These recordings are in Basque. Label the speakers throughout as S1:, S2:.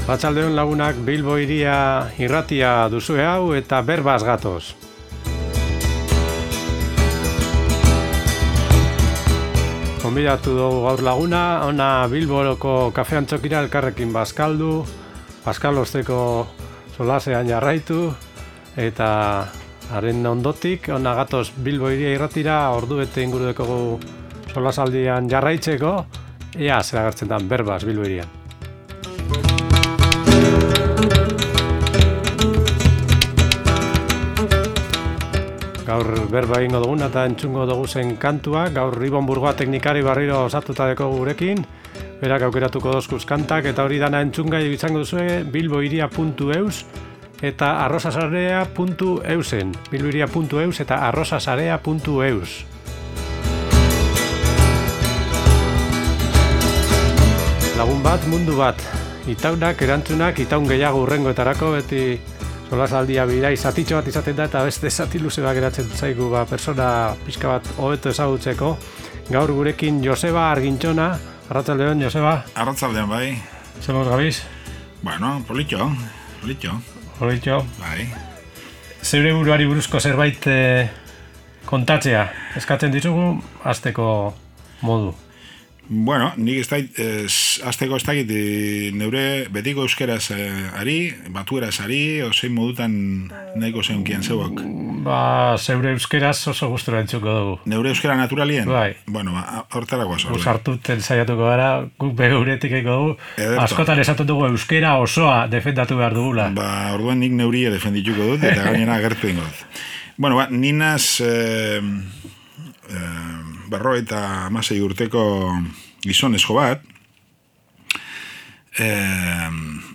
S1: Arratsaldeon lagunak, Bilbo hiria irratia duzue hau eta berbaz gatoz. Konbidatu dugu gaur laguna, ona Bilboroko kafe antzokira elkarrekin bazkaldu, bazkalosteko solasean jarraitu, eta haren ondotik, ona gatoz Bilbo hiria irratira ordu bete inguru dekogu solasaldian jarraitzeko, ea zer agertzen da berbaz Bilbo hirian. Gaur berba egingo duguna eta entzungo dugu zen kantua, gaur Ibon Burgoa teknikari barriro osatuta deko gurekin, berak aukeratuko dozkuz kantak, eta hori dana entzungai izango duzue bilbohiria.eus eta arrosasarea.eusen, bilbohiria.eus eta arrosasarea.eus. Lagun bat, mundu bat, itaunak, erantzunak, itaun gehiago urrengoetarako, beti solasaldia bidai zatitxo bat izaten da eta beste zati luze bat geratzen zaigu persona pixka bat hobeto ezagutzeko. Gaur gurekin Joseba Argintxona. Arratsaldeon, Joseba.
S2: Arratsaldeon, bai.
S1: Zemoz gabiz?
S2: Bueno, politxo. Bai.
S1: Zeure buruari buruzko zerbait kontatzea. Eskatzen ditugu hasteko modu.
S2: Bueno, nik azteko ez dakit neure betiko euskeraz ari, batueraz ari, ozein modutan nahiko zeunkien zeuak.
S1: Zeure euskeraz oso gustura entzuko dugu.
S2: Neure euskera naturalien?
S1: Bai.
S2: Bueno, hortarako azor.
S1: Usartuten saiatuko gara, guk begeuretik eko dugu. Askotan esaten dugu euskera osoa defendatu behar dugula.
S2: Orduan nik neurie defendituko dut, eta gainera agertu ingo dut. Bueno, ninaz... 56 urteko gizonezko bat,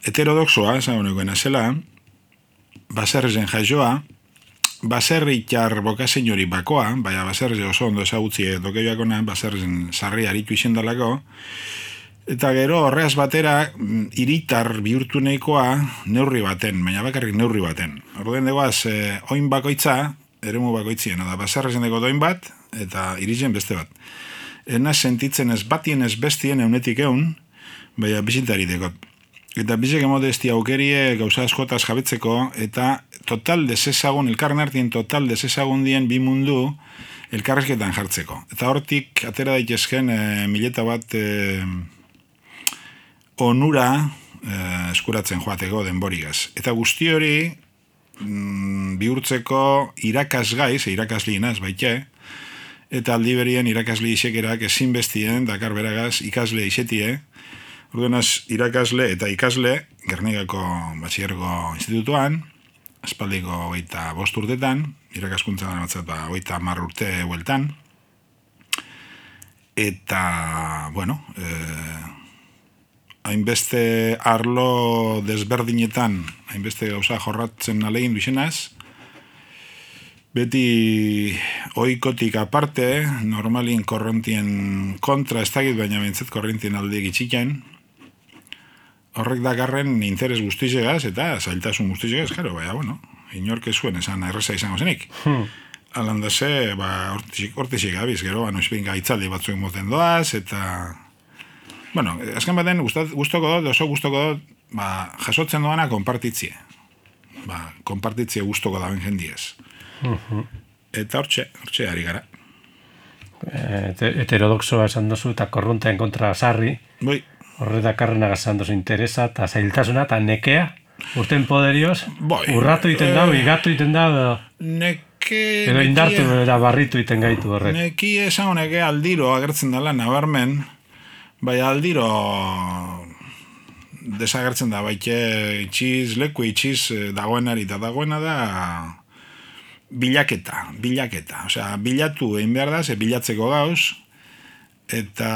S2: heterodoxoa, esaguneko enazela, baserrizen jaioa, baserritar bokazein hori bakoa, baina baserrize oso ondo ezagutzi dokeiakona, baserrizen sarri aritu izendalako, eta gero horreaz batera hiritar bihurtu nahikoa neurri baten, baina bakarrik neurri baten. Orduen degoaz, oin bakoitza, eremu bakoitzien, da baserrizen dago doin bat, eta iritzen beste bat. Ena sentitzen ez batien ez bestien eunetik eun, baina bizitari dekot. Eta bizek emodesti aukerie gauza askotaz jabetzeko, eta total desezagun, elkarren artien total desezagun dien bi mundu elkarrezketan jartzeko. Eta hortik atera daitezken mileta bat onura eskuratzen joateko denborigaz. Eta guzti hori bihurtzeko irakasgai, irakaslienaz baite, eta aldi berien irakasle isekerak ezinbestien dakar beragaz ikasle isetie. Orduanaz, irakasle eta ikasle Gernikako Batxillergo Institutuan, aspaldiko 25 urtetan, irakaskuntza batzat 30 urte bueltan. Eta, bueno, hainbeste arlo desberdinetan, hainbeste gauza jorratzen alegin duzenaz, beti oikotik aparte, normalien korrentien kontra ez dakit, baina bentzat korrentien alde gitxiken, horrek dakarren interes guztizegaz eta zailtasun guztizegaz, jaro, baina, bueno, inorke zuen esan erreza izango zenik. Alandase, hortizik gabiz, gero, noizbein gaitzaldi batzuen moten doaz, eta... Bueno, azken baten, guztoko dut, oso guztoko dut, jasotzen doana konpartitzie. Konpartitzie guztoko daben jendiez. Eta hortxe ari gara.
S1: Heterodoxoa esan dozu eta korronteen kontra sarri.
S2: Bai.
S1: Horretakarren agazan dozu interesa eta zailtasuna eta nekea. Urten poderioz, urratu iten dau, igatu iten dau, edo indartu eta barritu iten gaitu horrek.
S2: Neki esan honeke aldiro agertzen dela nabarmen, bai aldiro desagertzen da, baite leku itxiz dagoenari, eta dagoena da bilaketa. Osea, bilatu egin behar da, ze bilatzeko gauz, eta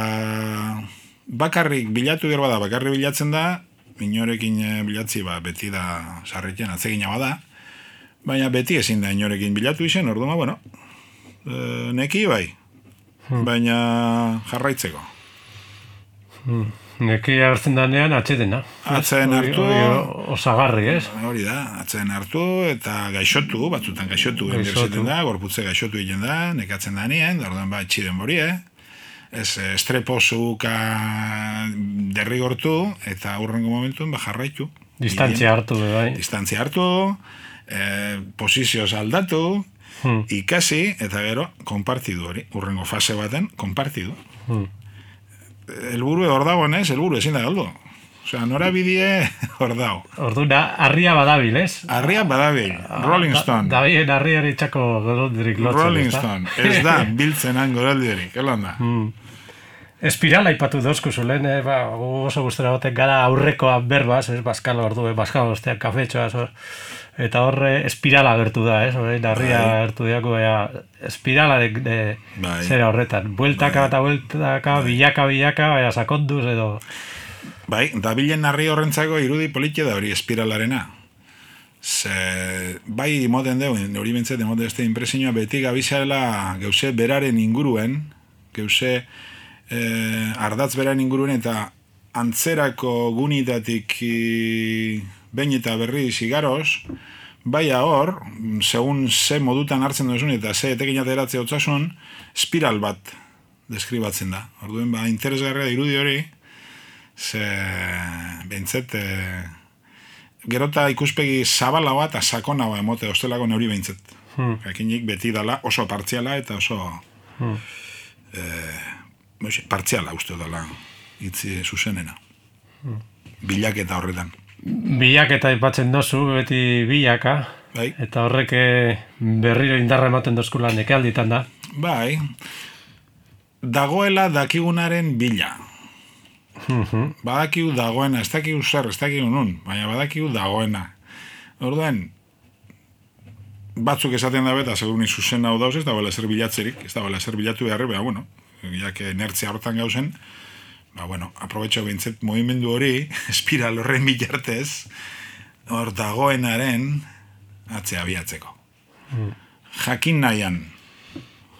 S2: bakarrik bilatu gero bada, bakarrik bilatzen da, inorekin bilatzi beti da sarritzen atzegina bada, baina beti ezin da inorekin bilatu izen, orduan, bueno, neki bai, baina jarraitzeko.
S1: Neki agertzen danean atxetena.
S2: Atzen hartu.
S1: Osagarri, ez?
S2: Hori da, atzen hartu eta gaixotu, batzutan gaixotu da, gorputze gaixotu egiten da, nekatzen da nien, orduan txiren borie, estrepozuka derrigortu, eta hurrengo momentuen jarraitu.
S1: Distantzia hartu, bai.
S2: Distantzia hartu, posizioz aldatu, ikasi, eta gero, konpartidu hori. Hurrengo fase baten, konpartidu. Elburu hor dago, elburu ezin da galdu. Osea, norabidie hor dago.
S1: Orduna, harria badabil, ez?
S2: Harria badabil, Rolling Stone.
S1: Davien harriari txako goroldirik lotzen,
S2: Rolling Stone, ez da, biltzenan goroldirik, elanda.
S1: Espirala ipatu dozku zulen, oso guztera goten gara aurrekoa berbaz, ez, Baskalo ordu, Baskalo ostean kafetxoa, eta horre espirala gertu da, ez, harria gertu diako, espirala de zera horretan. Bueltaka eta bueltaka, bilaka, sakonduz edo...
S2: Bai, dabilen harri horrentzako irudi politia da hori espiralarena. Bai, moten deu, hori bentzet, emote este impresioa beti gabizela geuse beraren inguruen, geuse ardatz beraren inguruen, eta antzerako gunitatik behin eta berri zigaroz, bai hor, segun ze modutan hartzen duzun eta ze etekin ateratzea otzasun, espiral bat deskribatzen da. Orduen, interesgarria irudi hori, behintzet, gerota ikuspegi zabala bat eta sakona bat emote ostelako neuri behintzet. Jakinik beti dala oso partziala eta oso partziala uste dala itzi zuzenena. Bilaketa horretan.
S1: Bilaketa ipatzen dozu, beti bilaka, eta horrek berriro indarra ematen dozkula nekealditan da.
S2: Bai, dagoela dakigunaren bila. Badakigu dagoena, ez dakigu zer, ez dakigu nun, baina badakigu dagoena. Orduan, batzuk esaten da beta, seguruni zuzen hau dauz, ez da bela zer bilatzerik, ez da bela zer bilatu beharri, baina, bueno, jak inertzia hortan gauzen, aprobetxo bintzet movimendu hori, espiral horren bilartez, hor dagoenaren atzea biatzeko. Jakin nahian.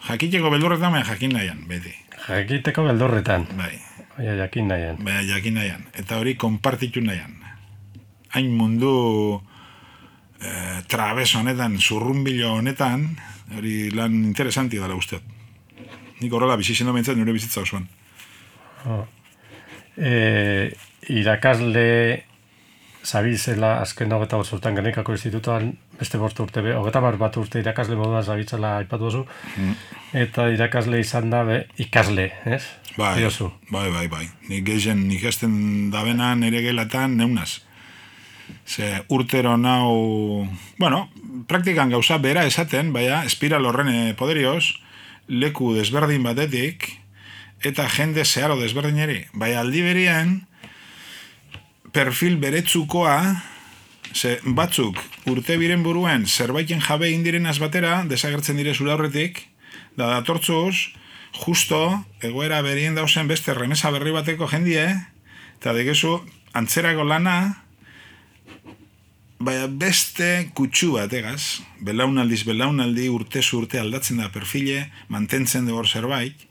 S2: Jakiteko beldurretan, baina jakin nahian, beti.
S1: Jakiteko beldurretan.
S2: Bai.
S1: Baina jakin nahian.
S2: Eta hori konpartitu nahian. Hain mundu trabeso honetan, zurrumbilo honetan, hori lan interesanti dala usteot. Nik horrela bizitzen domentzat nire bizitza osoan.
S1: Irakasle zabizela azken 25 urtean Gernikako institutoan beste 5 urte, 30 urte irakasle moduan zabitzela aipatu duzu, eta irakasle izan da ikasle, ez?
S2: Bai. Nik gehien ikasten dabenan ere gelatan neunaz. Ze urtero nau, praktikan gauza bera esaten, baina espiral horren poderioz, leku desberdin batetik, eta jende zeharo desberdineri. Baina aldi berian, perfil beretzukoa, ze batzuk urte biren buruen zerbaiten jabe indirenaz batera, desagertzen dire zure aurretik, da datortzuz, justo egoera berien dauzen beste remesa berri bateko jendie, eta degezu antzerako lana, baina beste kutsu bat, egaz, belaunaldi urtezu urte aldatzen da perfile, mantentzen dugu zerbait,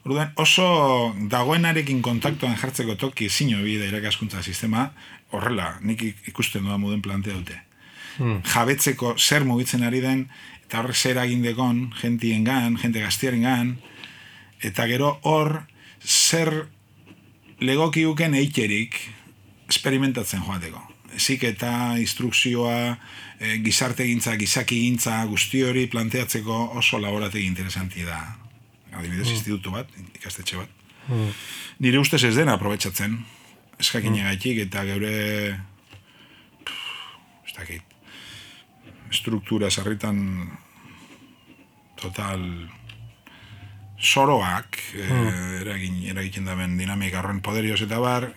S2: orduan oso dagoenarekin kontaktuan jartzeko toki zino bide irakaskuntza sistema, horrela, nik ikusten doa moden plantea dute. Jabetzeko zer mugitzen ari den, eta horrek zer agindekon, jentiengan, jente gaztiarengan, eta gero hor zer legokiuken eiterik experimentatzen joateko. Ezik eta instrukzioa, gizarte gintza, gizaki gintza, guzti hori planteatzeko oso laborategi interesanti da. Adibidez, institutu bat, ikastetxe bat. Nire ustez ez dena aprobetxatzen, eskakinegaitik eta geure struktura sarritan total soroak eragiten daben dinamika horren poderioz eta bar,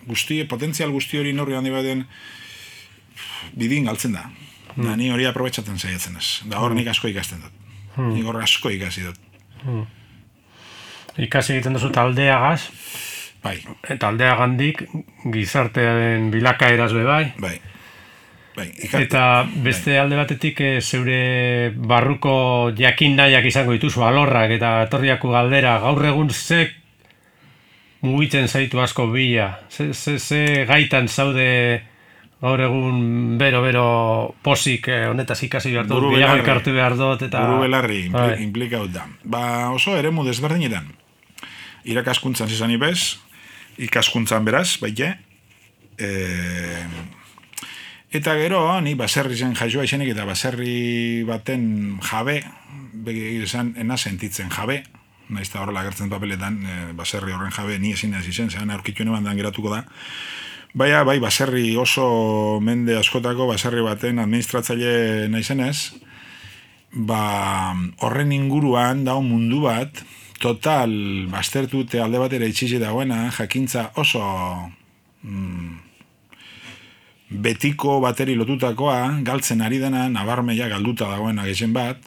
S2: potentzial guzti hori norri handi baten bidin galtzen da. Da ni hori aprobetxatzen zaiatzen ez. Da hor nik asko ikasten dut. Nik hor asko ikasi dut.
S1: Ikasi egiten duzu taldeagaz.
S2: Bai.
S1: Taldeagandik gizartearen bilakaeraz bai.
S2: Bai.
S1: Eta beste alde batetik zeure barruko jakin nahiak izango dituzu alorrak eta etorriako galdera gaur egun ze mugitzen zaitu asko bila. Ze gaitan zaude gaur egun bero posik honetaz ikasi behar dut, bilago elkartu behar dut eta...
S2: Buru belarri implikaut da. Oso eremu desberdinetan. irakaskuntzan zizan ibez, ikaskuntzan beraz, baite. Eta gero, ni baserri zen jaioa izenik, eta baserri baten jabe, esan, ena sentitzen jabe, nahiz eta horrela agertzen papeletan, baserri horren jabe, ni ezin ez izen, zean aurkitu neban geratuko da. Baina, bai, baserri oso mende askotako, baserri baten administratzaile naizenez, horren inguruan dago mundu bat, total, baztertute alde batera itxizi dagoena, jakintza oso betiko bateri lotutakoa, galtzen ari dena, nabarmeia galduta dagoena gehien bat,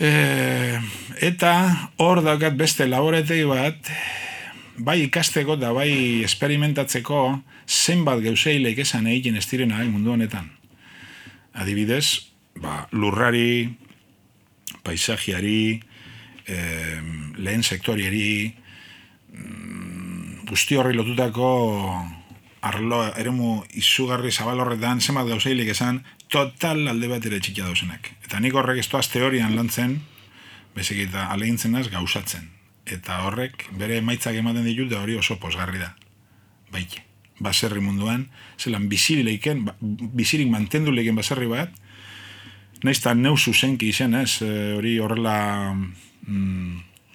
S2: eta hor daukat beste laboretegi bat, bai ikasteko eta bai esperimentatzeko zenbat geuseileik esan egiten ez direnak mundu honetan. Adibidez, lurrari, paisajiari, lehen sektoriari, guzti horri lotutako arlo, eremu izugarri zabal horretan, zenbat gauzeilik esan, total alde bat ere txikia dauzenak. Eta nik horrek ez toaz teorian lantzen, bezik eta alegintzen naz gauzatzen. Eta horrek bere emaitzak ematen ditut, hori oso posgarri da. Baike, baserri munduan, zelan bizirik mantendu leiken baserri bat, naizta neu zuzenki izen ez, hori horrela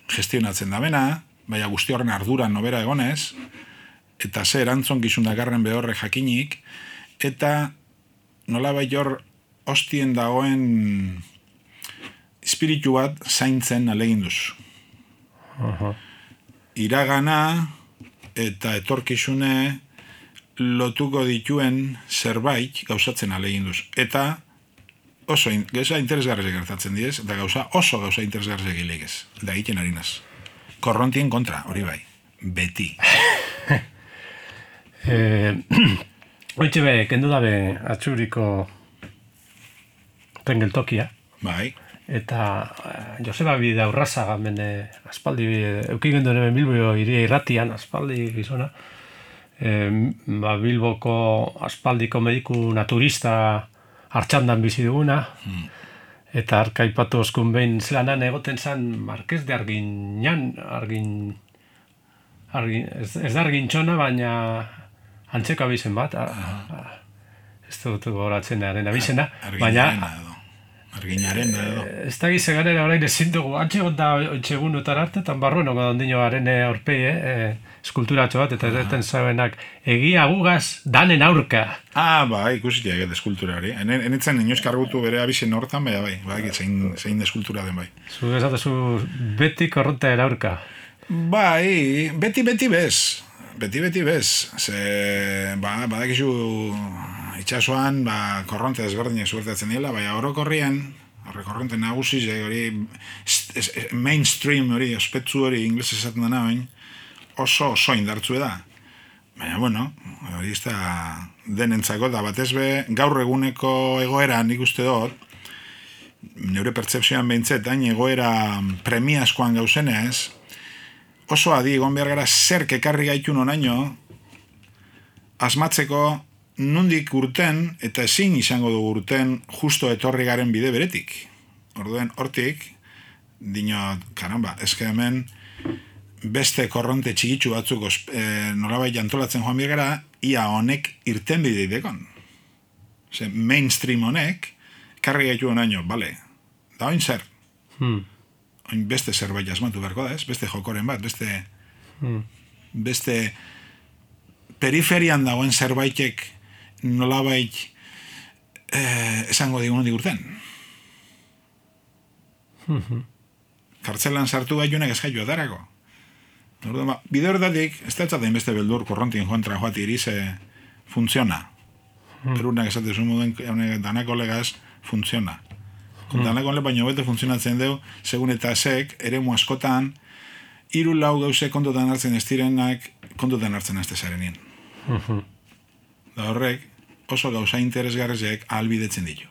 S2: gestionatzen da bena, baina guzti horren arduran nobera egonez, eta ze erantzon gizun dakarren behorre jakinik, eta nola bai hor hostien dagoen espiritu bat zaintzen aleginduz. Iragana eta etorkizune lotuko dituen zerbait gauzatzen aleginduz. Eta oso gauza interesgarrezek gertatzen diez, eta oso gauza interesgarrezek ilegez. Da egiten harinaz. Korrontien kontra, hori bai. Beti.
S1: Oitxe be, kendu dabe atxuriko tengeltokia.
S2: Bai.
S1: Eta Joseba Bida Urrazaga mene aspaldi eukigendu neben Bilbo iria irratian, aspaldi gizona. Bilboko aspaldiko mediku naturista hartxandan bizi duguna. Eta arkaipatu oskun behin zelanan egoten zan Marquez de Arguiñan, ez da Arguintxona, baina antzeko abizen bat. Ez dut goratzen aren abizena.
S2: Baina Arginaren edo.
S1: Ez da gizeganera orain ezin dugu, antxe gonda oitxegunutan arte, eta barruenoko ondino garen aurpei, eskulturatxo bat, eta erreten zabenak, egia gugaz danen aurka.
S2: Ikusitia eget eskultura hori. Enitzen inoz kargutu bere abizen hortan, bai, zein eskultura den bai.
S1: Zu esatezu beti korronta aurka.
S2: Bai, beti bez. Beti bez. Badakizu itxasuan, korronte desberdinak zuertatzen dira, bai, orokorrian, korronte nagusi, hori mainstream hori, ospetsu hori, ingles esaten dena bain, oso indartzu da. Baina, bueno, hori ez da denentzako, da batez be, gaur eguneko egoera nik uste dut, neure pertsepzioan behintzet, hain egoera premiazkoan gauzenez, oso adi egon behar gara zerk ekarri gaitun onaino, asmatzeko nundik urten, eta ezin izango dugu urten, justo etorri garen bide beretik. Orduen, hortik, dinot, karamba, ezke hemen, beste korronte txigitsu batzuk nolabait jantolatzen joan birgara, ia honek irten bide idekon. Mainstream honek, karri gaitu onaino, bale, da oin zer. Oin beste zerbait asmatu beharko da, ez? Beste jokoren bat, beste periferian dagoen zerbaitek nolabait esango digun urten. Kartzelan sartu gaiunak ez gaitu atarako. Bide horretatik, ez da etzaten beste beldur korrontien kontra joati irize funtziona. Perunak esatezu moduen danako legaz funtziona. Danako le baino bete funtzionatzen deu, segun eta esek, eremu askotan, 3-4 gauze kontutan hartzen ez direnak, kontutan hartzen ez dezarenien. Da horrek, oso gauza interesgarrezek ahalbidetzen ditu.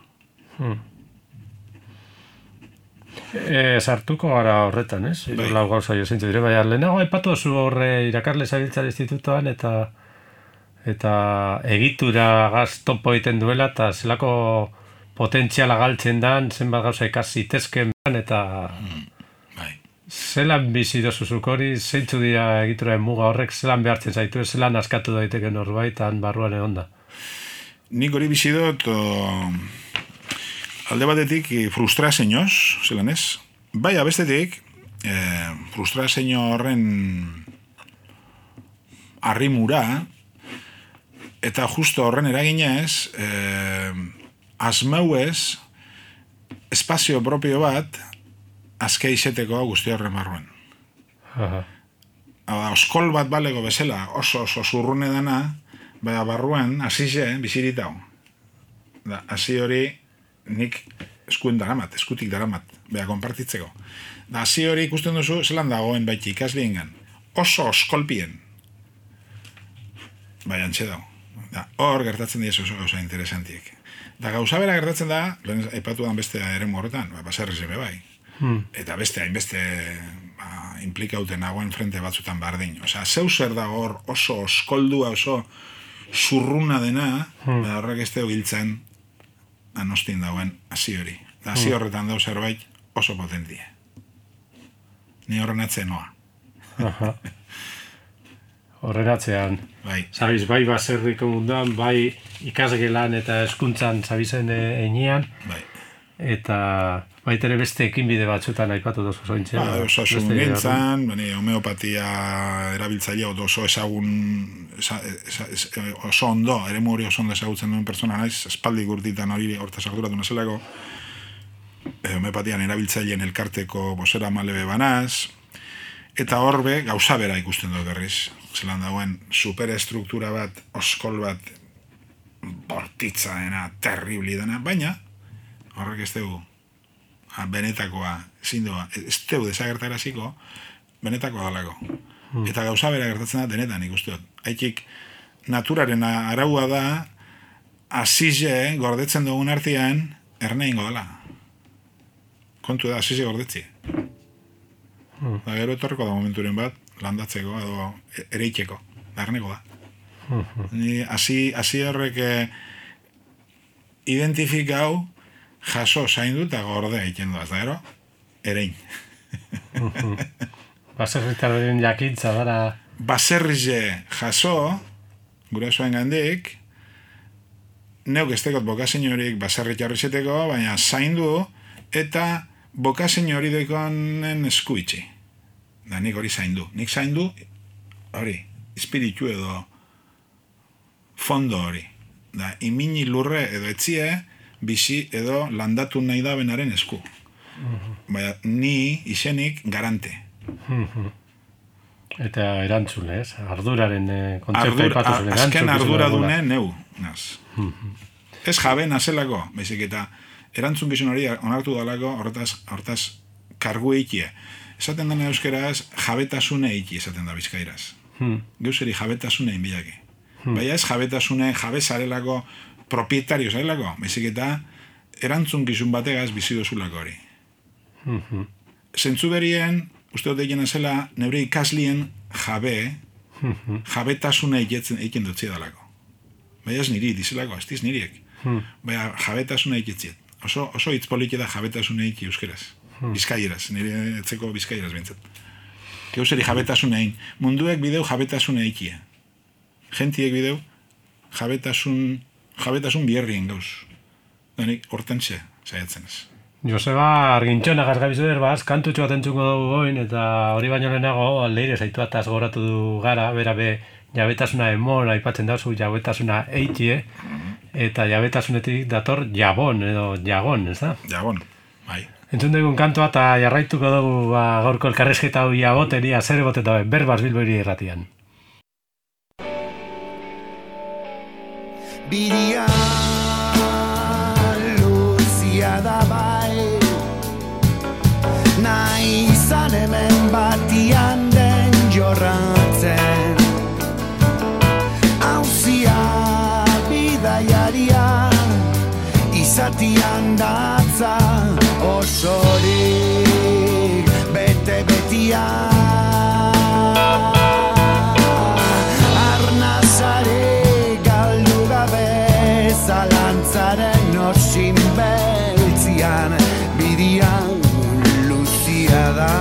S1: Sartuko gara horretan, ez? Lau gauza jo zintzu dire, baina lehenago aipatu zu horre irakarle zabiltzar institutoan eta egitura gaz topo egiten duela eta zelako potentziala galtzen dan, zenbat gauza ikasi tezken eta Zelan bizi dozuzuk hori, zeintzu dira egituraren muga horrek, zelan behartzen zaitu, zelan askatu daiteke norbaitan barruan egon da?
S2: Nik hori bizi dut, alde batetik frustrazioz, zelan ez? Bai, abestetik, frustrazio horren arrimura, eta justo horren eraginez, asmauez, espazio propio bat, azke izeteko guzti horren barruan. Oskol bat balego bezala, oso zurrune dana, baina barruan, azize, biziritau. Azi hori, nik eskutik daramat, beha konpartitzeko. Azi hori ikusten duzu, zelan dagoen baiti ikasliengan. Oso oskolpien. Bai, antxe dago. Hor gertatzen dira oso gauza interesantiek. Gauza bera gertatzen da, lehen aipatu dan beste eremu horretan, baserriz eme bai. Eta beste hainbeste implikauten nagoen frente batzutan bardin. Osea, zeu zer dago hor oso oskoldua, oso zurruna dena, horrek ez deo giltzen anostin dagoen hasi hori. Hasi horretan dau zerbait oso potentie. Ni horren atzen noa.
S1: Horren atzean.
S2: Bai.
S1: Zabiz, bai baserriko munduan, bai ikasgelan eta hezkuntzan zabizen enean.
S2: Bai.
S1: Eta baitere beste ekinbide batzuetan aipatu dozu zointzen.
S2: Osasun gintzan, homeopatia erabiltzailea oso ezagun, oso ondo, eremu hori oso ondo ezagutzen duen pertsona naiz, espaldi gurtitan hori hortaz arduratu nazelako, homeopatian erabiltzaileen elkarteko bosera malebe banaz, eta horbe gauza bera ikusten dut berriz. Zelan dagoen superestruktura bat, oskol bat, bortitza dena, terribli dena, baina horrek ez dugu benetakoa, zindoa, ez dugu desagertaraziko, benetakoa dalako. Eta gauza bera gertatzen da denetan ikusten dut. Haitik, naturaren araua da, azize gordetzen dugun artean, erne ingo dela. Kontu da, azize gordetzi. Da gero etorreko da momenturen bat, landatzeko edo ereiteko, darneko da. Ni hasi horrek identifikau jaso zaindu eta gorde egiten duaz, da gero, erein.
S1: Baserritarren jakintza dara.
S2: Baserrize jaso, gure zuen gandik, neuk estekot bokazein horik baserritarri zeteko, baina zaindu eta bokazein hori dekonen eskuitzi. Da nik hori zaindu. Nik zaindu, hori, espiritu edo fondo hori. Da, imini lurre edo etzie, bizi edo landatu nahi da benaren esku. Baina, ni izenik garante.
S1: Eta erantzun, ez? Arduraren kontzeptu ipatu zuen.
S2: Azken ardura dune neu, naz. Ez jabe nazelako, baizik eta erantzun gizun hori onartu dalako, hortaz kargu eikie. Esaten dena euskeraz, jabetasune eiki esaten da bizkairaz. Geuseri jabetasune inbilaki. Baina ez jabetasune, jabe zarelako, propietario zarelako, baizik eta erantzun gizun bategaz bizi dozulako hori. Zentzu berien, uste dut egin zela, neure ikaslien jabetasune eiken dutzi dalako. Baina ez niri, dizelako, ez diz niriek. Baina jabetasune eiketziet. Oso hitz poliki da jabetasune eiki euskeraz. Bizkaieraz, nire etzeko bizkaieraz bintzat. Geuseri jabetasune egin. Munduek bideu jabetasune eikie. Gentiek bideu jabetasun bierrien gauz. Danik, hortentxe, saiatzen ez.
S1: Joseba Argintxona gazgabizu derbaz, kantutxo bat entzuko dugu goin, eta hori baino lehenago, aldeire zaitu ataz goratu du gara, berabe jabetasuna emon, aipatzen dauzu jabetasuna eikie, eta jabetasunetik dator jabon, edo jagon, ez da?
S2: Jagon, bai.
S1: Entzun dugun kantua eta jarraituko dugu gaurko elkarrezketa hau jaboteria, zer egoteta berbaz Bilboiri irratian.
S3: Bidia luzia da bai, nahi izan hemen batian den jorratzen, hauzia bidaiaria izatian datza, osorik bete-betian. Arnazare galdu gabe zalantzaren osin beltzian, bidian luzia da.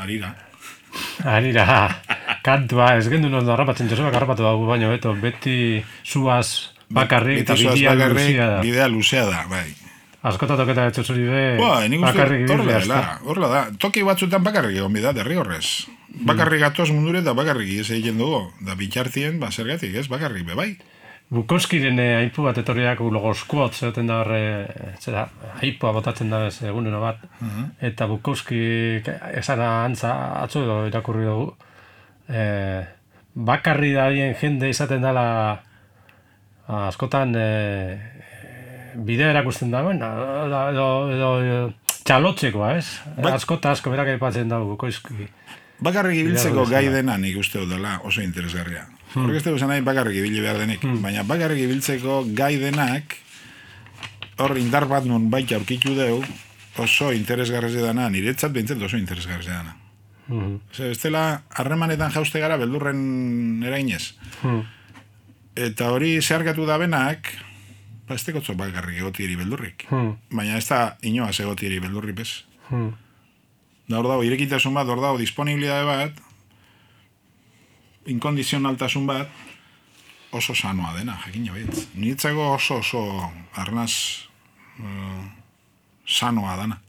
S1: Arira, kantua, ez gendu ondo harrapatzen, Josebak harrapatu dago baino, beto, beti zuaz bakarrik eta
S2: bidea luzea da, bai.
S1: Askota toketa ez zuri be,
S2: nik
S1: bakarrik
S2: bidea. Horla da, toki batzutan bakarrik egon bida, derrigorrez. Bakarrik gatoz mundure eta bakarrik ez egiten dugu. Da bitartien, zergatik, ez, bakarrik be, bai.
S1: Bukowskiren aipu bat etorriak logoskuot zegoten da horre, aipua botatzen da ez egunero bat. Eta Bukowski esana antza atzo edo irakurri dugu. Bakarri darien jende izaten dela askotan bidea erakusten dagoen, edo txalotzekoa, ez? Asko berak aipatzen dago Bukowski.
S2: Bakarrik ibiltzeko gai dena nik uste dela oso interesgarria. Horrek ez dugu nahi bakarrik ibili behar denik, baina bakarrik ibiltzeko gai denak hor indar bat nun baita aurkitu deu oso interesgarrez dana, niretzat behintzat oso interesgarrez dana. Ez dela harremanetan jauste gara beldurren erainez. Eta hori zeharkatu da benak, ez tekotzo bakarrik egotieri beldurrik. Baina ez da inoaz egotieri beldurri bez. Da hor dago, irekitasun bat, hor dago, disponibilidade bat, inkondizionaltasun bat, oso sanoa dena, jakin jabitz. Niretzako oso arnaz sanoa dana.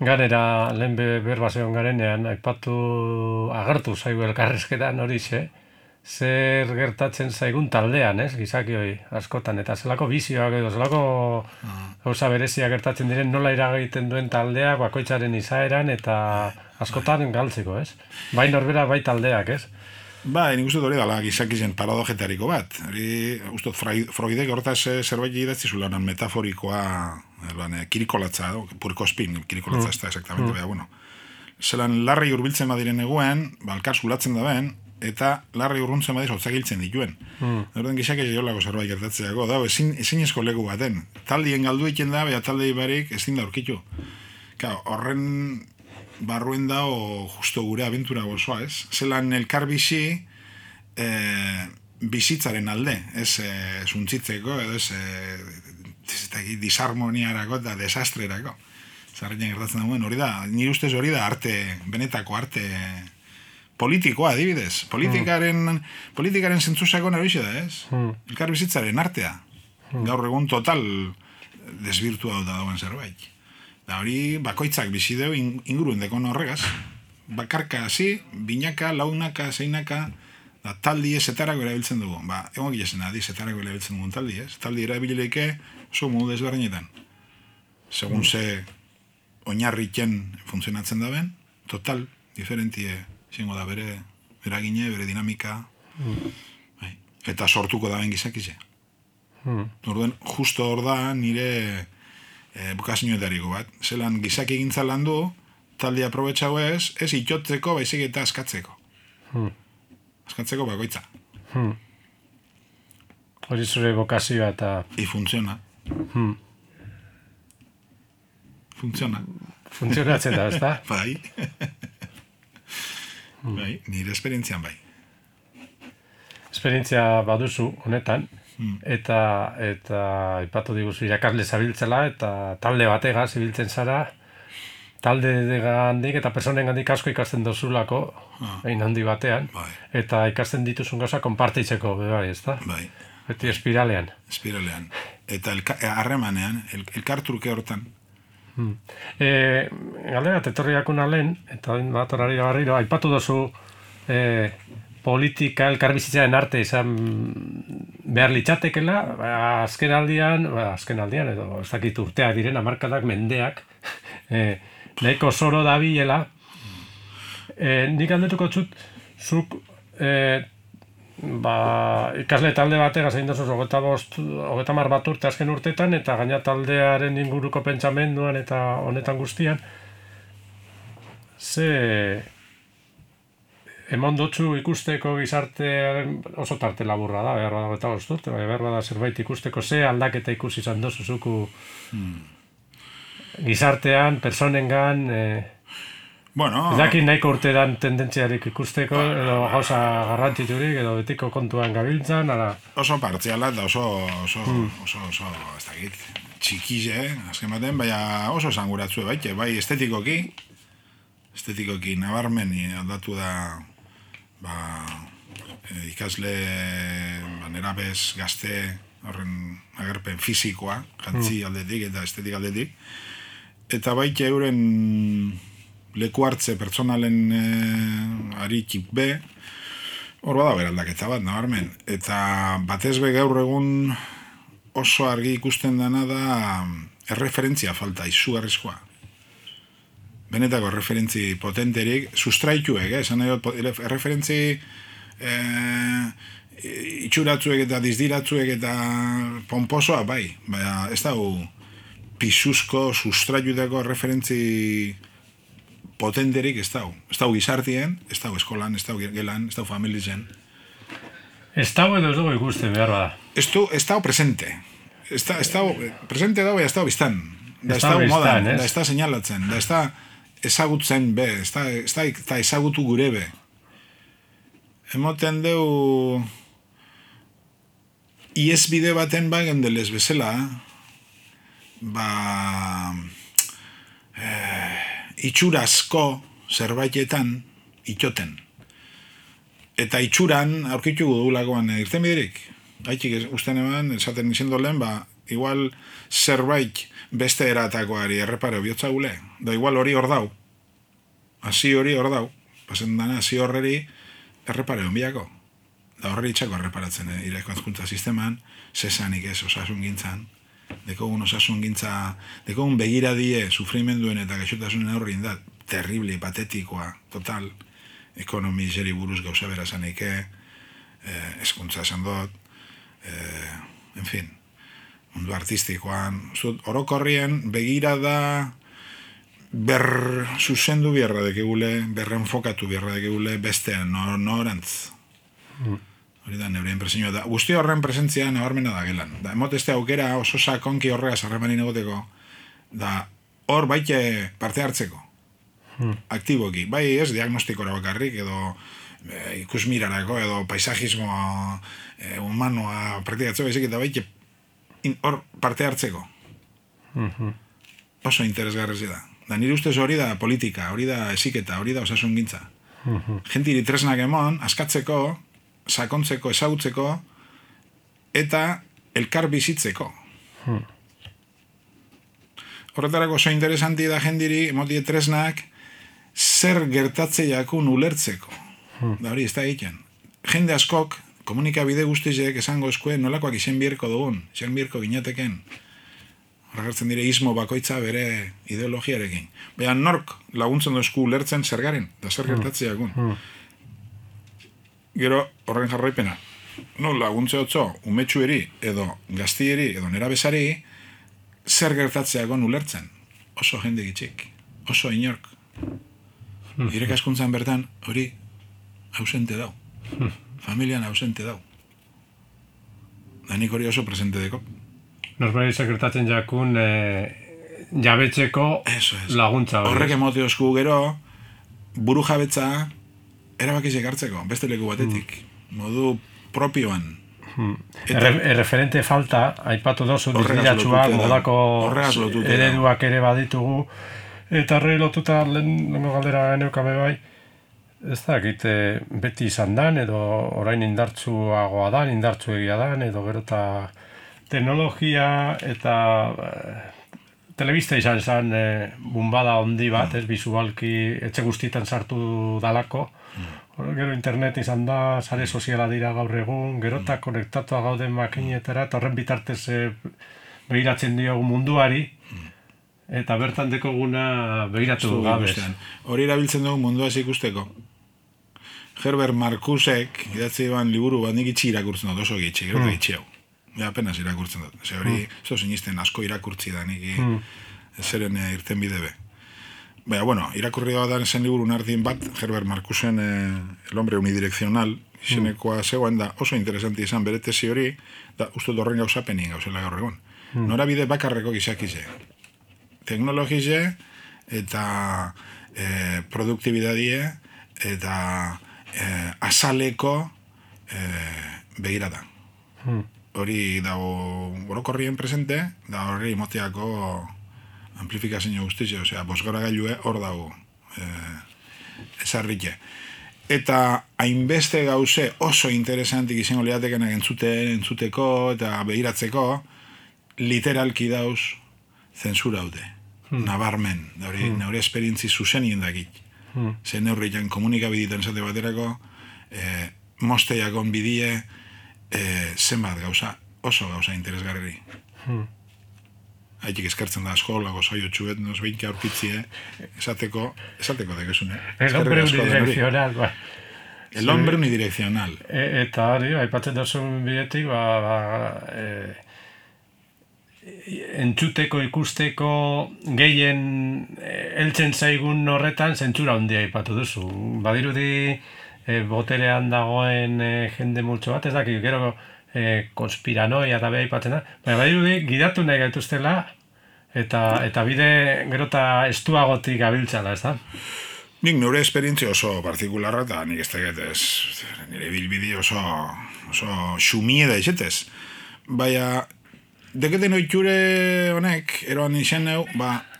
S1: Ganera, lehen berba zegoen garenean, agertu zaigu elkarrezketan horixe, zer gertatzen zaigun taldean, ez, gizaki hori, askotan, eta zelako bizioak edo, zelako gauza berezia gertatzen diren nola iragiten duen taldea, bakoitzaren izaeran, eta askotan galtzeko, ez? Bai norbera, bai taldeak, ez?
S2: Ba, nik uste hori dala gizakizen paradogetariko bat. Ustot, Freudek hortaz zerbait idatzi zulanan metaforikoa, kirikolatza, purkospin, kirikolatza ez da exactamente, baina, bueno. Zelan larri urbiltzen badiren eguen, alkar zulatzen da ben, eta larri urruntzen badiz hotzak hiltzen dituen. Horten gizak ez jolako zerbait gertatzeako, da, ezin esko leku baten. Taldien galdu egiten da, baina taldei barik ezin da aurkitu. Horren barruen da, justo gure abentura gozoa, ez? Zelan elkar bizi bizitzaren alde, ez zuntzitzeko, edo ez disharmoniarako eta desastrerako. Zarretan gertatzen da, hori da, nire ustez hori da arte, benetako arte politikoa, adibidez. Politikaren zentzusako naroixe da, ez? Elkar bizitzaren artea. Gaur egun total desbirtua da dagoen zerbait. Da hori bakoitzak bizi deu inguruen dekon horregaz. Bakarka hasi, binaka, launaka, zeinaka, da taldi ez zetarako erabiltzen dugu. Egon gilesen adi zetarako erabiltzen dugun taldi, ez? Taldi erabilileike oso modu desberdinetan. Segun ze oinarriken funtzionatzen da ben, total, diferentie zingo da bere eragine, bere dinamika, eta sortuko da ben gizakize. Orduan, justo hor da nire bukazioetariko bat. Zelan gizaki egintza lan du, talde aprobetxau ez itotzeko, baizik eta askatzeko. Askatzeko bakoitza.
S1: Hori zure bokazioa eta...
S2: Funtziona. Funtziona.
S1: Funtzionatzen da, ez da?
S2: Bai. Bai, nire esperientzian bai.
S1: Esperientzia baduzu honetan, eta ipatu diguzu irakasle zabiltzela, eta talde bategaz ibiltzen zara, talde gandik eta personen gandik asko ikasten dozulako, egin handi batean, eta ikasten dituzun gauza konpartitzeko, bai, ez da?
S2: Bai.
S1: Beti espiralean.
S2: Espiralean. Eta harremanean, elkartruke hortan.
S1: Galdera, etorriakuna lehen, eta bat horari barriro, aipatu dozu politika elkarbizitzaren arte izan behar litzatekela, azken aldian edo ez dakit urteak diren, hamarkadak, mendeak, nahiko zoro dabilela. Nik aldetuko txut, zuk ikasle talde bategaz egin dozuz 30 bat urte azken urtetan, eta gaina taldearen inguruko pentsamenduan eta honetan guztian, ze emon dotzu ikusteko gizartearen oso tarte laburra da, behar bada eta urte, behar bada zerbait ikusteko, ze aldaketa ikusi izan dozu zuku gizartean, personengan...
S2: Bueno...
S1: Ez dakit nahiko urteran tendentziarik ikusteko, edo gauza garrantziturik, edo betiko kontuan gabiltzan, ala...
S2: Oso partziala eta oso, ez dakit, txikize, azken baten, baina oso zanguratzu baite, bai estetikoki nabarmeni aldatu da, ikasle, nerabez, gazte, horren agerpen fisikoa, jantzi aldetik eta estetik aldetik, eta baite euren leku hartze pertsonalen aritik be, hor bada beraldaketa bat, nabarmen. Eta batez be gaur egun oso argi ikusten dana da erreferentzia falta, izugarrizkoa. Benetako erreferentzi potenterik, sustraituek, esan nahi dut, erreferentzi itxuratzuek eta dizdiratzuek eta pomposoa, bai, baina ez dago pisuzko, sustraitutako referentzi potenterik ez dago. Ez dago gizartien, ez dago eskolan, ez dago gelan, ez dago familizen.
S1: Ez dago edo ez dago ikusten behar bada.
S2: Ez dago presente. Ez dago, presente dago, ez dago biztan. Da ez dago modan, da ez da señalatzen, da ez da ezagutzen be, ez da ezagutu gure be. Emoten deu iesbide baten gendelez bezala, itxurazko zerbaitetan itxoten. Eta itxuran aurkitu dugulakoan irten biderik. Haitxik usten eman, esaten izendo lehen, igual zerbait beste eratakoari errepare biotza gule. Da igual hori hor dau. Hasi hori hor dau. Pasen dana, hasi horreri errepare honbiako. Da horreri itxako erreparatzen ireko azkuntza sisteman, zesanik ez osasun gintzan. Dekogun osasun gintza, dekogun begiradie sufrimenduen eta gaixotasunen aurrin da, terrible, patetikoa, total, ekonomi zeri buruz gauza berazaneike, eskuntza esan dut, en fin, mundu artistikoan, orokorrien begirada zuzendu biharra dekegule, berrenfokatu biharra dekegule, bestean, norantz. Hori da, neure impresioa da. Guzti horren presentzia nabarmena da gelan. Da, emoteste aukera oso sakonki horregaz harremanin egoteko, da hor baite parte hartzeko. Aktiboki. Bai ez diagnostikora bakarrik, edo ikusmirarako, edo paisajismo humanoa praktikatzeko, baizik eta baite hor parte hartzeko. Oso interesgarrezi da. Da, nire ustez hori da politika, hori da heziketa, hori da osasun gintza. Gentiri tresnak emon, askatzeko, sakontzeko, ezagutzeko, eta elkar bizitzeko. Horretarako oso interesanti da jendiri, emotie tresnak, zer gertatzeiakun ulertzeko. Da hori, ez da egiten. Jende askok, komunikabide guztizek esango eskue nolakoak izen bierko dugun, izen bierko ginateken. Horregartzen dire ismo bakoitza bere ideologiarekin. Baina nork laguntzen dozku ulertzen zer garen, da zer gertatzeiakun. Gero, horren jarraipena, no laguntze otzo, umetxueri, edo gaztieri, edo nerabezari, zer gertatzeakon ulertzen. Oso jende gitxik, oso inork. Irekaskuntzan bertan, hori ausente dau. Familian ausente dau. Da nik hori oso presente deko.
S1: Norbait gertatzen jakun jabetzeko laguntza.
S2: Horrek emotio esku gero, buru jabetza, erabakizek hartzeko, beste leku batetik. Modu propioan.
S1: Erreferente falta, aipatu dozu, dizdiratxuak, modako ereduak ere baditugu, eta horre lotuta lehenko galdera geneukabe bai, ez da, beti izan dan, edo orain indartsuagoa dan, indartsuegia dan, edo gero eta teknologia eta telebista izan zen bumbada handi bat, ez bizualki etxe guztietan sartu dalako. Gero internet izan da, sare soziala dira gaur egun, gero eta konektatua gauden makinetara, eta horren bitartez begiratzen diogu munduari, eta bertan dekoguna begiratu gabez.
S2: Hori erabiltzen dugu munduaz ikusteko. Herbert Marcusek, idatzi ban liburu bat nik itxi irakurtzen dut, oso gitxi, gero eta gitxi hau. Apenas irakurtzen dut. Hori, zo sinisten asko irakurtzi da, nik zeren irten bide be. Baina, bueno, irakurri da zen liburu nardien bat, Herbert Marcusen El hombre unidireccional, izenekoa zegoen da oso interesanti izan bere tesi hori, da uste horren gauzapenin gauzela gaur egon. Norabide bakarreko gizakize. Teknologize eta produktibidadie eta azaleko begirada. Hori dago orokorrien presente, da horri moteako amplifikazio guztizio, osea, bosgora gailue hor dago ezarrike. Eta hainbeste gauze oso interesantik izango liatekenak entzuteko eta begiratzeko, literalki dauz zensura haute. Nabarmen, naure esperientzi zuzen indakit. Zer neurritan komunikabiditan zate baterako, mosteiakon bidie, zenbat gauza, oso gauza interesgarri. Haitik eskertzen da asko, lago saio txuet, nos beinke aurkitzie, esateko dekesune.
S1: El hombre unidireccional, ba.
S2: El hombre unidireccional.
S1: Eta hori, aipatzen duzun bidetik, entzuteko, ikusteko, gehien heltzen zaigun horretan zentsura handia aipatu duzu. Badirudi boterean dagoen jende multzo bat, ez dakit, gero konspiranoia eta beha aipatzen da, baina badirudi gidatu nahi gaituztela eta bide gero eta estuagotik abiltzala, ez da?
S2: Nik nire esperientzia oso partikularra eta nik ez tegetez, nire bilbidi oso xumie da izetez. Baina, deketen oiture honek, eroan izan neu,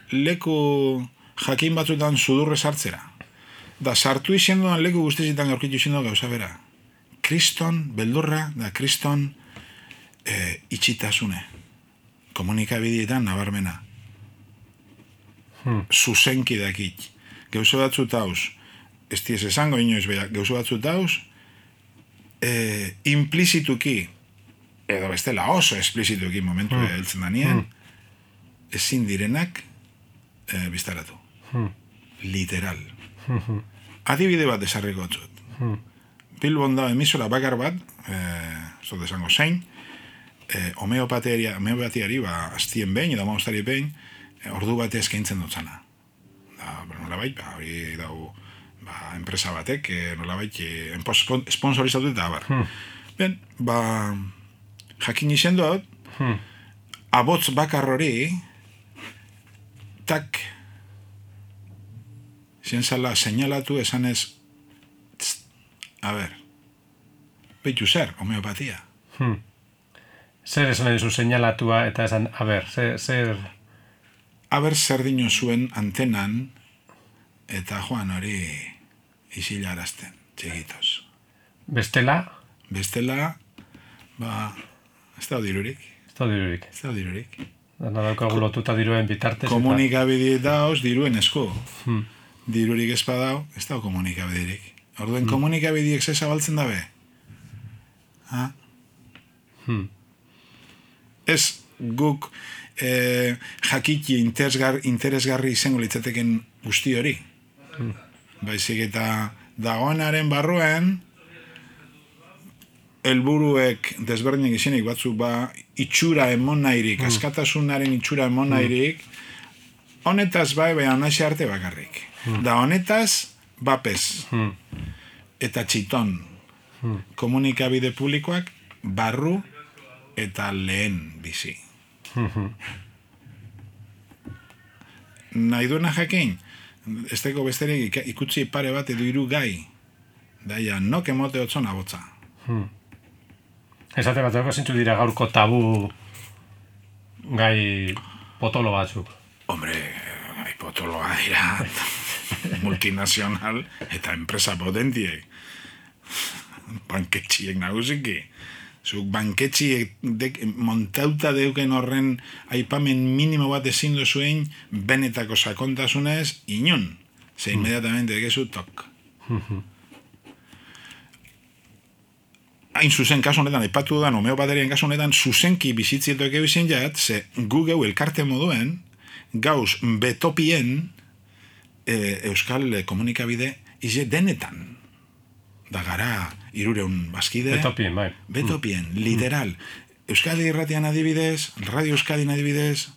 S2: leku jakin batzutan sudurre sartzera. Da sartu izan duan leku guztizitan gaurkitu izan duan gauza bera. Kriston, beldurra, da kriston itxitasune. Komunikabidietan nabarmena. Zuzenki dakit. Gauza batzut hauz, ez diez esango inoiz beha, gauza batzut hauz, implizituki, edo bestela oso esplizituki momentu heltzen danien, ezin direnak biztaratu. Literal. Adibide bat desarriko atzut. Bilbon da emisora bakar bat, ez dut esango zein, homeopatiari aztien behin, edo maustari behin, ordu bate eskaintzen dutzana. Nolabait, hori dago enpresa batek, nolabait, sponsorizatu eta abar. Ben, jakin izen dut, abotz bakar hori, tak, zienzala seinalatu esanez, beitu zer, homeopatia.
S1: Zer esan edizu seinalatua eta esan, zer...
S2: Zer dino zuen antenan, eta joan hori isilarazten, txegitos.
S1: Bestela?
S2: Bestela, ez da dirurik. Ez da dirurik.
S1: Dana daukagu lotuta diruen bitartez.
S2: Komunikabide dauz diruen esku. Dirurik espadau, ez da komunikabiderik. Orduen komunikabideek ze zabaltzen dabe? Ez guk jakiki interesgarri izango litzateken guzti hori. Baizik eta dagoenaren barruen helburuek desberdinak izenik batzuk itxura emon nahirik, askatasunaren itxura emon nahirik, honetaz baina nahi arte bakarrik. Da honetaz bapez eta txiton komunikabide publikoak barru eta lehen bizi. Nahi duena jakin, ez teko besterik ikutzi pare bat edo hiru gai, daia nok emote otzona botza.
S1: Esate bateko zintzu dira gaurko tabu gai potolo batzuk.
S2: Hombre, gai potoloa dira multinazional eta enpresa potentiek. Banketxiek nagusiki. Zuk banketxiek montauta deuken horren aipamen minimo bat ezin duzuen benetako sakontasunez inon. Ze inmediatamente dekezu tok. Hain zuzen kasu honetan, aipatu dudan homeopaterian kasu honetan, zuzenki bizitzietok egin jat, ze gu geu elkarte moduen, gauz betopien euskal komunikabide ize denetan. Da gara irureun bazkide.
S1: Betopien, bai.
S2: Betopien, literal. Euskadi irratian adibidez, Radio Euskadin adibidez,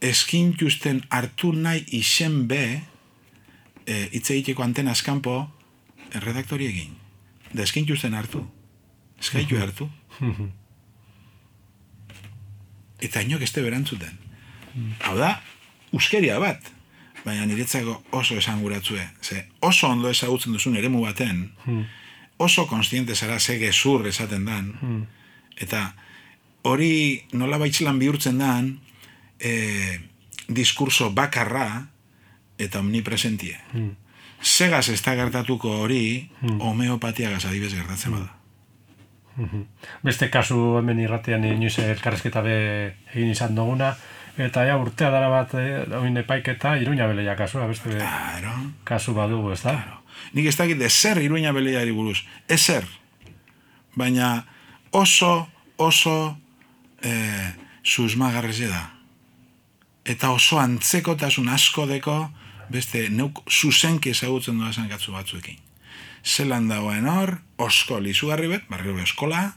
S2: eskintuzten hartu nahi izen be, hitzeiteko antena eskampo, redaktori egin. Da eskintuzten hartu. Eskaitu hartu. Eta inok este berantzuten. Hau da, euskeria bat. baina niretzako oso esanguratzue. Ze oso ondo ezagutzen duzun eremu baten, oso konstiente zara ze gezur esaten dan, eta hori nola baitzelan bihurtzen dan, diskurso bakarra eta omnipresentie. Segaz ez da gertatuko hori, homeopatiagaz adibez gertatzen bada.
S1: Beste kasu hemen irratean inoiz elkarrezketa egin izan duguna, eta urtea dara bat, oin epaiketa, Iruña Beleia kasua, beste kasu badugu, ez da?
S2: Claro. Nik ez dakit ezer Iruña Beleiari buruz, ezer. Baina oso susmagarreze da. Eta oso antzekotasun asko deko, beste neuk zuzenki ezagutzen duazan katzu batzuekin. Zelan dagoen hor, osko lizugarri bet, barrio eskola,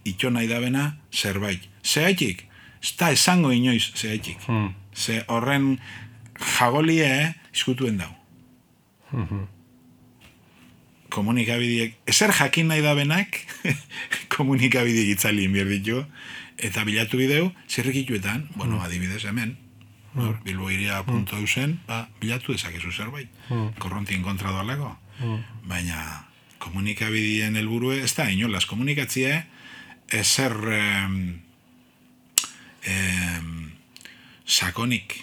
S2: itxo nahi dabena zerbait. Zehaitik, ez da esango inoiz zehaitik. Ze horren jagolie izkutuen dau. Komunikabideek, ezer jakin nahi dabenak, komunikabideek itzalien bierditu, eta bilatu bideu, zirrikituetan, adibidez hemen, bilboiria.eusen, bilatu dezakezu zerbait. Korrontien kontra doalako. Baina komunikabideen helburue ez da inolaz komunikatzie ezer sakonik.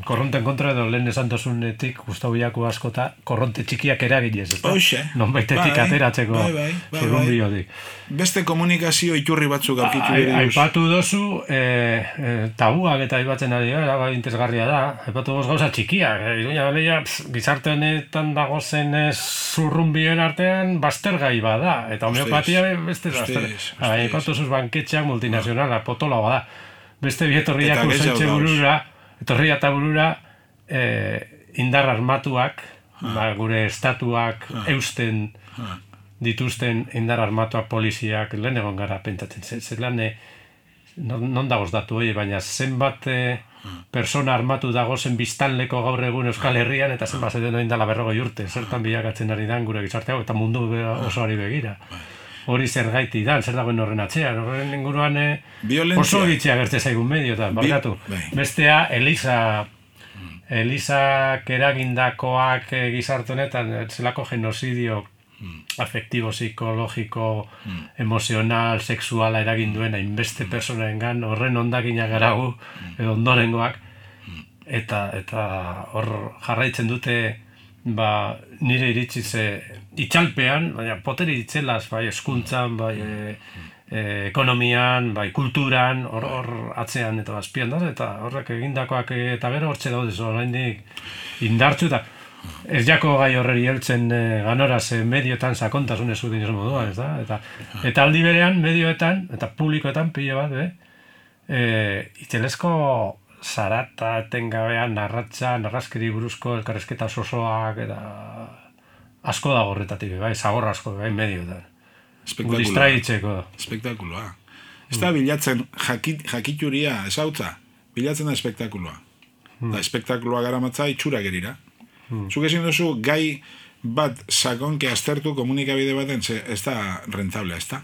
S1: Korronten kontra edo lehen esan dozunetik Gustavo Biako askota korronte txikiak eraginez, ez da?
S2: Hoxe.
S1: Nonbaitetik ateratzeko zurrunbiotik.
S2: Beste komunikazio iturri batzuk aurkitu dira.
S1: Aipatu dozu tabuak eta aipatzen ari gara, interesgarria da. Aipatu dozu gauza txikiak. Iruña Beleia gizarte honetan dagozen zurrunbioen artean baztergai bada. Eta homeopatia beste baztergai. Aipatu zuz banketxeak multinazionala, potola bada. Beste bietorriak usaitxe burura, etorria eta burura indar armatuak, gure estatuak eusten dituzten indar armatuak poliziak lehen egon gara pentsatzen. Zelan, non dagoz datu hori, baina zenbat persona armatu dagozen biztanleko gaur egun Euskal Herrian, eta zenbat zeden indala 40 urte, zertan bilakatzen ari dan gure gizarteago, eta mundu osoari begira. Hori zer gaiti da, zer dagoen horren atxean, horren inguruan oso gitzea gertze zaigun mediotan, barkatu. Bestea, Elizak eragindakoak gizarte honetan, zelako genozidio afektibo, psikologiko, emozional, sexuala eragin duen hainbeste personaengan, horren ondakinak garagu, edo ondorengoak, eta hor jarraitzen dute, nire iritziz itxalpean, baina poteri ditzelaz, bai eskuntzan, bai ekonomian, bai kulturan, hor atzean eta azpian da, eta horrek egindakoak eta gero hortxe daudez, oraindik indartzu, eta ez jako gai horreri heltzen ganoraz medioetan sakontasunez udin moduan, ez da? Eta aldi berean, medioetan, eta publikoetan pilo bat, itxelezko zarata etengabean narrazkeri buruzko elkarrezketa osoak eta asko dago horretatik, zagor asko, medioetan. Distraitzeko.
S2: Espektakuloa. Ez da bilatzen jakituria, ezautza, bilatzen da espektakuloa. Da espektakuloa garamatza itxura gerira. Zuk ezin duzu gai bat sakonke aztertu komunikabide baten, ez da rentable, ez da?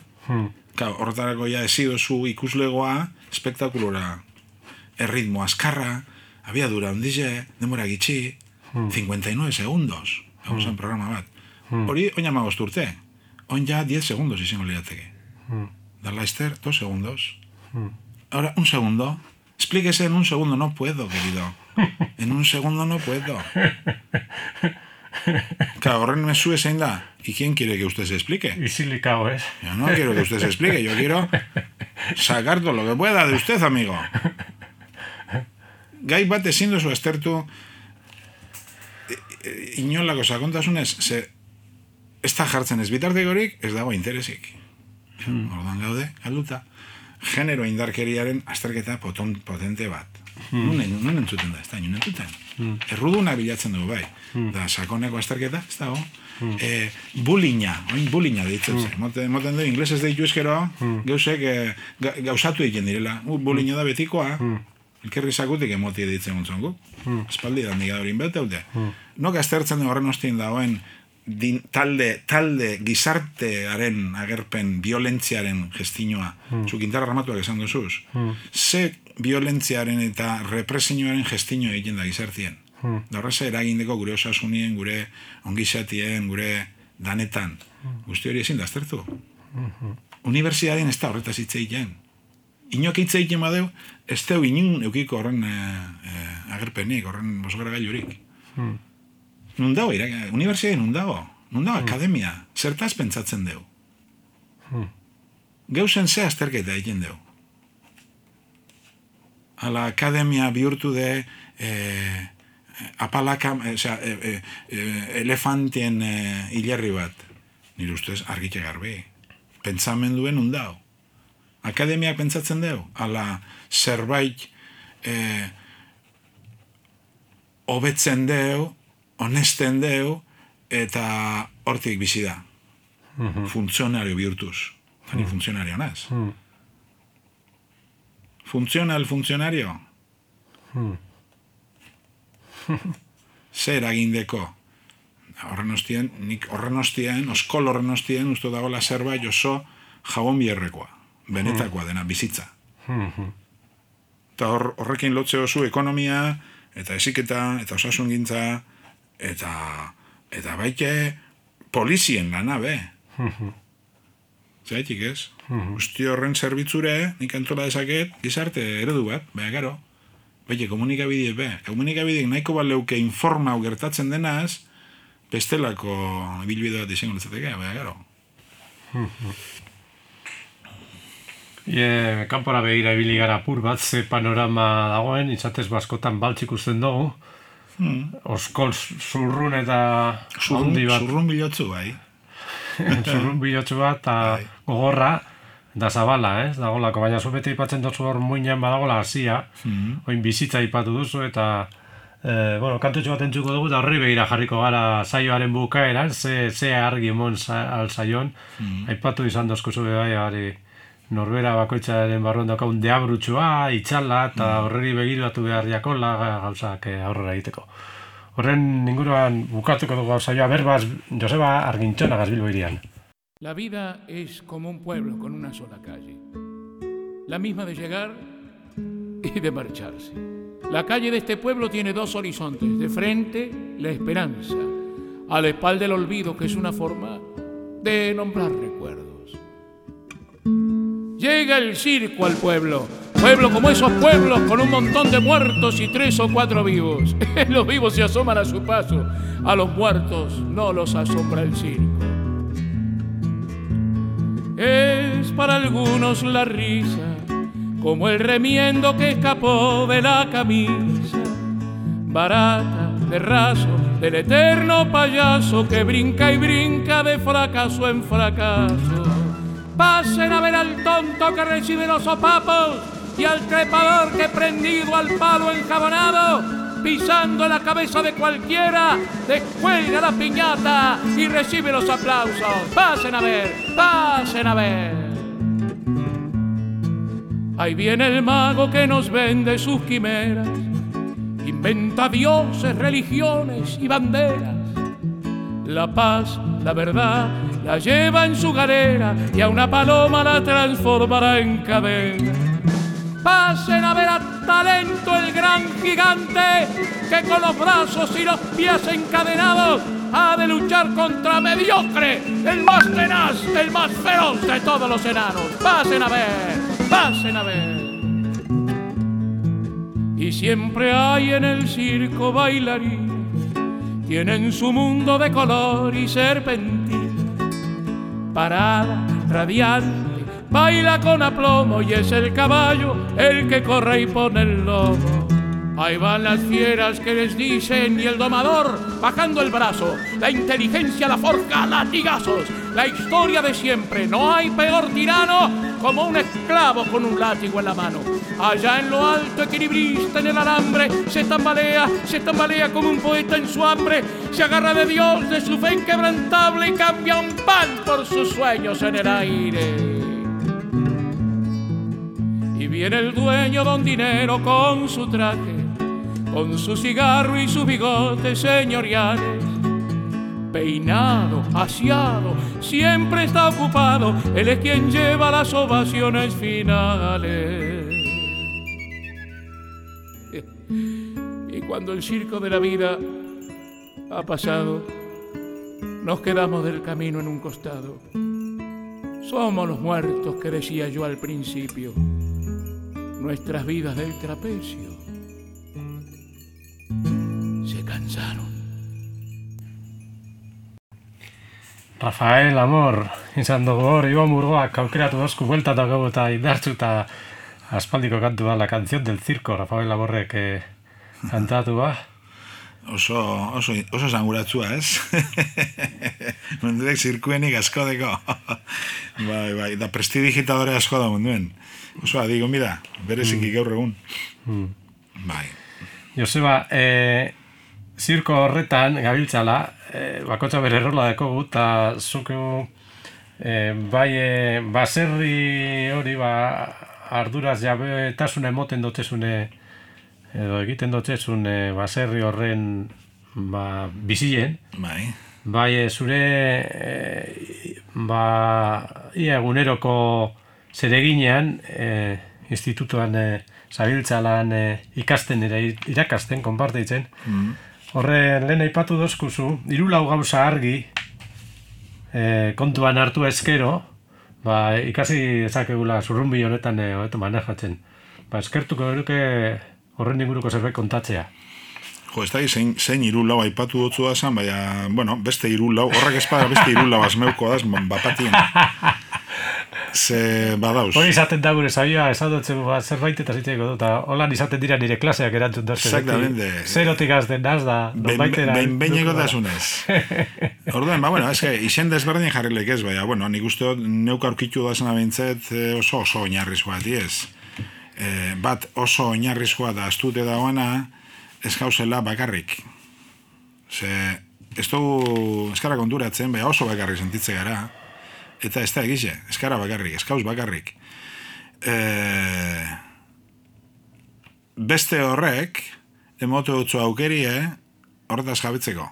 S2: Horretarako ja ezi duzu ikuslegoa espektakulora. Erritmo azkarra, abiadura ondize, demora gitxi, 59 segundos, hauzen programa bat. Hori, oin amagost urte, oin ja 10 segundos izango lirateke. Da Leicester, 2 segundos. Ahora, 1 segundo. Explíquese en 1 segundo, no puedo, querido. En 1 segundo no puedo. Claro, horren mesu zein da. ¿Y quién quiere que usted se explique?
S1: Isilikao, ¿es?
S2: Yo no quiero que usted se explique, yo quiero sacar todo lo que pueda de usted, amigo. Gai bat ezin duzu aztertu inolako sakontasunez, ez da jartzen ez bitartekorik, ez dago interesik. Ordan gaude, galduta. Genero indarkeriaren azterketa potente bat. Nun entzuten da, ez da, nun entzuten. Erruduna bilatzen dugu, bai. Da, sakoneko azterketa, ez dago. Bullyinga deitzen zen. Moten du, inglesez deitu ezkero, geusek gauzatu egiten direla. Bullyinga da betikoa, elkerri sakutik emotie deitzen gontzongu. Espaldi da nik adorin beteute. Nok aztertzen horren ostien dagoen talde gizartearen agerpen violentziaren gestinoa, zukintarra ramatuak esan duzuz. Ze violentziaren eta represioaren gestino egiten da gizartien. Da horreza eragindeko gure osasunien, gure ongizatien, gure danetan. Guzti hori ezin da aztertu. Unibertsitatean ez da horretaz hitz egiten. Inok hitz egiten badeu, ez deu inun eukiko horren agerpenik, horren bosgara gailurik. Nun dago, unibertsitatean nun dago akademia, zertaz pentsatzen deu. Geuzen ze azterketa egiten deu. Ala akademia bihurtu de apalaka, elefantien hilerri bat. Nire ustez argitxe garbi. Pentsamenduen undao. Akademiak pentsatzen deu. Ala zerbait hobetzen deu, honesten deu, eta hortik bizi da. Funtzionario bihurtuz. Ni funtzionario naz. Funtzionario. Zer agindeko. Nik horren ostien, oskol horren ostien, uste dagoela zerbait oso jabon bierrekoa. Benetakoa dena, bizitza. Eta horrekin lotze oso ekonomia, eta heziketa, eta osasungintza, eta baite polizien lana, be. Zaitik ez? Guzti horren zerbitzure, nik antola dezaket, gizarte eredu bat, beha gero. Baite, komunikabideek, komunikabideek nahiko baleuke informau gertatzen denaz, bestelako ibilbide bat izango litzateke, beha gero.
S1: Kanpora begira ibili gara apur bat, ze panorama dagoen, izatez baskotan baltz ikusten dugu. Oskol zurrun eta handi bat.
S2: Zurrun bilotzu, bai.
S1: Zurrun bilotzu bat, eta gogorra, da zabala, dagolako, baina zu bete ipatzen duzu hor muinean badagola hasia, oin bizitza ipatu duzu, eta kantutxo bat entzuko dugu, eta horri begira jarriko gara saioaren bukaeran, ze argi emon al saion, aipatu izan dozkuzu bai, norbera bakoitzaren barruan daukagun deabrutxua, itxala, eta horreri begiratu behar jakola gauzak aurrera egiteko. Horren inguruan bukatuko dugu saioa berbaz Joseba Argintxona Bilbo hirian.
S4: La vida es como un pueblo con una sola calle, la misma de llegar y de marcharse. La calle de este pueblo tiene dos horizontes, de frente la esperanza, a la espalda el olvido, que es una forma de nombrar recuerdos. Llega el circo al pueblo como esos pueblos con un montón de muertos y 3 o 4 vivos. Los vivos se asoman a su paso, a los muertos no los asombra el circo. Es para algunos la risa, como el remiendo que escapó de la camisa, barata, de raso, del eterno payaso que brinca y brinca de fracaso en fracaso. Pasen a ver al tonto que recibe los sopapos y al trepador que prendido al palo enjabonado, pisando la cabeza de cualquiera, descuelga la piñata y recibe los aplausos. Pasen a ver, pasen a ver. Ahí viene el mago que nos vende sus quimeras, inventa dioses, religiones y banderas. La paz, la verdad, la lleva en su galera y a una paloma la transformará en cadena. Pasen a ver a Talento, el gran gigante, que con los brazos y los pies encadenados ha de luchar contra Mediocre, el más tenaz, el más feroz de todos los enanos. Pasen a ver, pasen a ver. Y siempre hay en el circo bailarines, tienen su mundo de color y serpentina, parada, radiante, baila con aplomo y es el caballo el que corre y pone el lomo. Ahí van las fieras que les dicen y el domador bajando el brazo, la inteligencia la forja a latigazos, la historia de siempre, no hay peor tirano como un esclavo con un látigo en la mano. Allá en lo alto, equilibrista en el alambre, se tambalea como un poeta en su hambre, se agarra de Dios, de su fe inquebrantable y cambia un pan por sus sueños en el aire. Y viene el dueño don Dinero con su traje, con su cigarro y sus bigotes señoriales, peinado, aseado, siempre está ocupado, él es quien lleva las ovaciones finales. Y cuando el circo de la vida ha pasado, nos quedamos del camino en un costado. Somos los muertos que decía yo al principio, nuestras vidas del trapecio se cansaron.
S1: Rafael, amor, izan dugu hor, Iban Murgoak aukeratu dozku bueltatu gau eta indartzu eta aspaldiko kantu da La canción del circo, Rafael Amorrek kantatu ba.
S2: Oso zanguratzua, ez? Munduek zirkuenik asko deko. Bai, da prestidigitadore asko da munduen. Oso adigo, mira, bereziki gaur egun. Bai.
S1: Joseba, zirko horretan, gabiltzala, bakotxa bere rola dekogu, eta zuku baserri hori arduraz jabetasuna emoten dotzezune, edo egiten dotzezun baserri horren bizien. Bai, zure ia eguneroko zereginean, institutuan zabiltzalan ikasten irakasten, konparteitzen. Horre, lehen aipatu dozkuzu, 3-4 gauza argi kontuan hartu eskero, ikasi ezakegula zurrunbi honetan honetan manejatzen. Eskertuko eruke horren inguruko zerbait kontatzea.
S2: Jo, ez da, zein 3-4 aipatu dutzu da zan, baina, bueno, beste 3-4, horrek espada beste 3-4 azmeuko daz, bapatien. Ze badauz.
S1: Hori izaten da gure zabioa, esadotzen zerbait eta zitzeiko dut, holan izaten dira nire klaseak erantzun dazke.
S2: Exactamente.
S1: Zerotik azten naz da, nonbaitera.
S2: Behineko dasunez. Orduan, bueno, izen desberdin jarrilek ez, baina, bueno, nik uste neuk aurkitu dazena bintzet oso oinarrizkoa, ez? Bat oso oinarrizkoa da astute dagoena, ez gauzela bakarrik. Ze, ez dugu eskara konturatzen, baina oso bakarrik sentitze gara. Eta ez da egize, eskara bakarrik, eskauz bakarrik. Beste horrek, emotu dutzu aukerie, horretaz jabetzeko.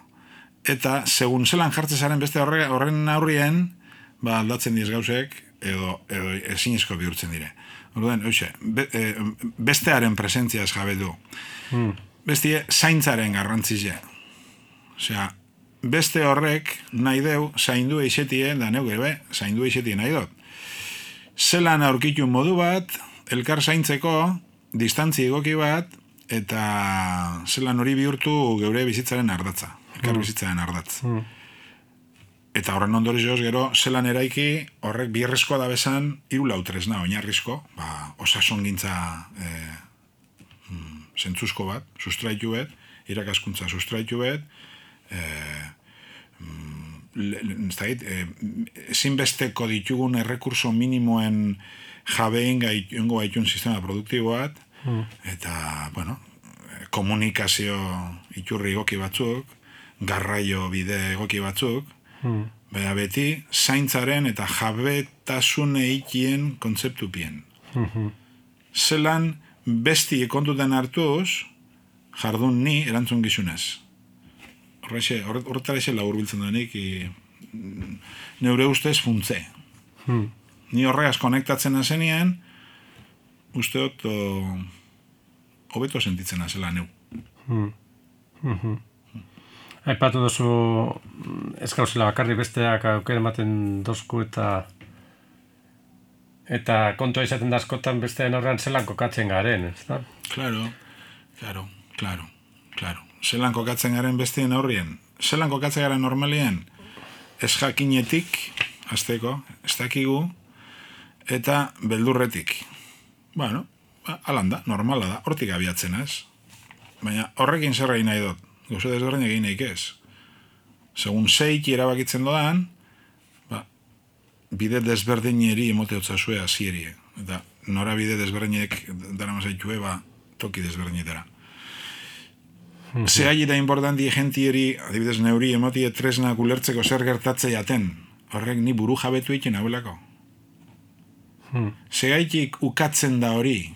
S2: Eta, segun zelan jartzezaren beste horren aurrien, aldatzen diez gauzek, edo ezinezko bihurtzen dire. Orduan, bestearen presentziaz jabetu. Bestie, zaintzaren garrantzizia. Osea, beste horrek nahi deu zaindu eixetie, da neu gebe, zaindu eixetie nahi dut. Zelan aurkitu modu bat, elkar zaintzeko, distantzi egoki bat, eta zelan hori bihurtu geure bizitzaren ardatza. Elkar bizitzaren ardatz. Eta horren ondorioz gero, zelan eraiki, horrek bierrezkoa da bezan, 3-4 tresna oinarrizko, osasun gintza zentzuzko bat, sustraitu bet, irakaskuntza sustraitu bet, ezinbesteko ditugun errekurso minimoen jabein gaitungo gaitun sistema produktibo bat, eta, bueno, komunikazio iturri egoki batzuk, garraio bide egoki batzuk, baina beti zaintzaren eta jabetasun eikien kontzeptupien. Zelan besti kontutan hartuz, jardun ni erantzun gizunez. Horretara eze labur biltzen denik, neure ustez funtze. Ni horregaz konektatzen azenien, usteot hobeto sentitzen azela neu.
S1: Aipatu duzu ez gauzela bakarri besteak aukera ematen dozku eta kontua izaten da askotan besteen aurrean zelan kokatzen garen, ez da?
S2: Claro. Zelan kokatzen garen besteen aurrien. Zelan kokatzen garen normalien, ez jakinetik, azteko, ez dakigu, eta beldurretik. Bueno, alanda, normala da, hortik abiatzen ez. Baina horrekin zerra nahi dut, gauze desberdin egin nahi ez. Segun zeik erabakitzen dodan, bide desberdineri emoteotzazue azieri. Eta nora bide desberdinek dara mazaitue, toki desberdinetara. Zehaili da importanti egentieri, adibidez neuri, emotie tresna ulertzeko zer gertatze jaten. Horrek ni buru jabetu egiten hauelako. Zehaitik ukatzen da hori,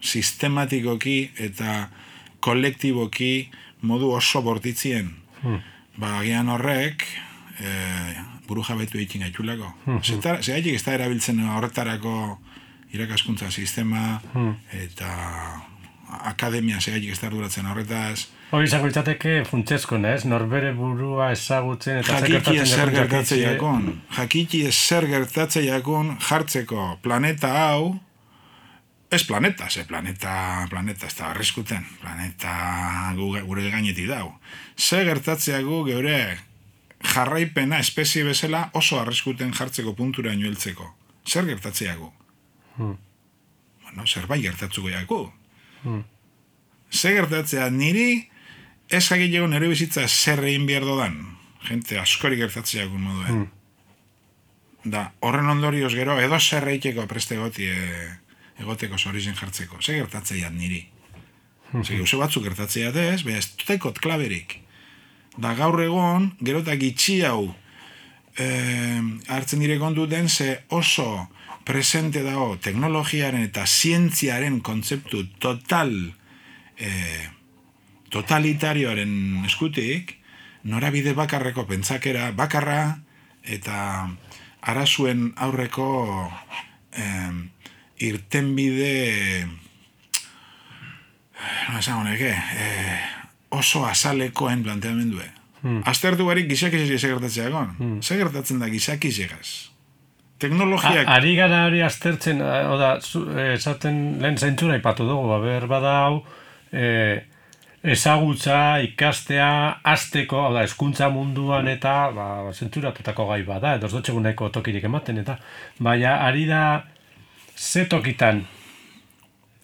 S2: sistematikoki eta kolektiboki modu oso bortitzien. Agian horrek buru jabetu egiten gaitulako. Zehaitik ez da erabiltzen horretarako irakaskuntza sistema eta akademia segaitik ez da arduratzen horretaz.
S1: Hori izango litzateke funtsezko, ez? Norbere burua ezagutzen eta
S2: jakiki zer gertatzen jakon. Jakiki zer gertatzen jakon jartzeko planeta hau, ez planeta, planeta ez da arriskuten, planeta gure gainetik dau. Zer gertatzen gu geure jarraipena espezie bezala oso arriskuten jartzeko puntura heltzeko. Zer gertatzen jaku? Bueno, zerbait gertatzuko jaku. Zer gertatzea niri ez jakilego nire bizitza zer egin behar dodan. Gente askori gertatzea jakun moduen. Da, horren ondorioz gero edo zer eiteko preste egoteko zorizen jartzeko. Zer gertatzea niri. Zer gauze batzuk gertatzea ez, baina ez dutekot klaberik. Da gaur egon, gerotak itxi hau hartzen dire kontu den ze oso presente dago teknologiaren eta zientziaren kontzeptu totalitarioaren eskutik, norabide bakarreko pentsakera bakarra eta arazuen aurreko irtenbide oso azalekoen planteamendue. Aztertu barik gizakizek gertatzea egon. Zer gertatzen da gizakizekaz? Teknologiak...
S1: Ari gara hori aztertzen, esaten lehen zentzura ipatu dugu, bada hau, ezagutza, ikastea, azteko, hezkuntza munduan eta zentzuratutako gai bada, edo ez dutxeguneko tokirik ematen, eta baina ari da ze tokitan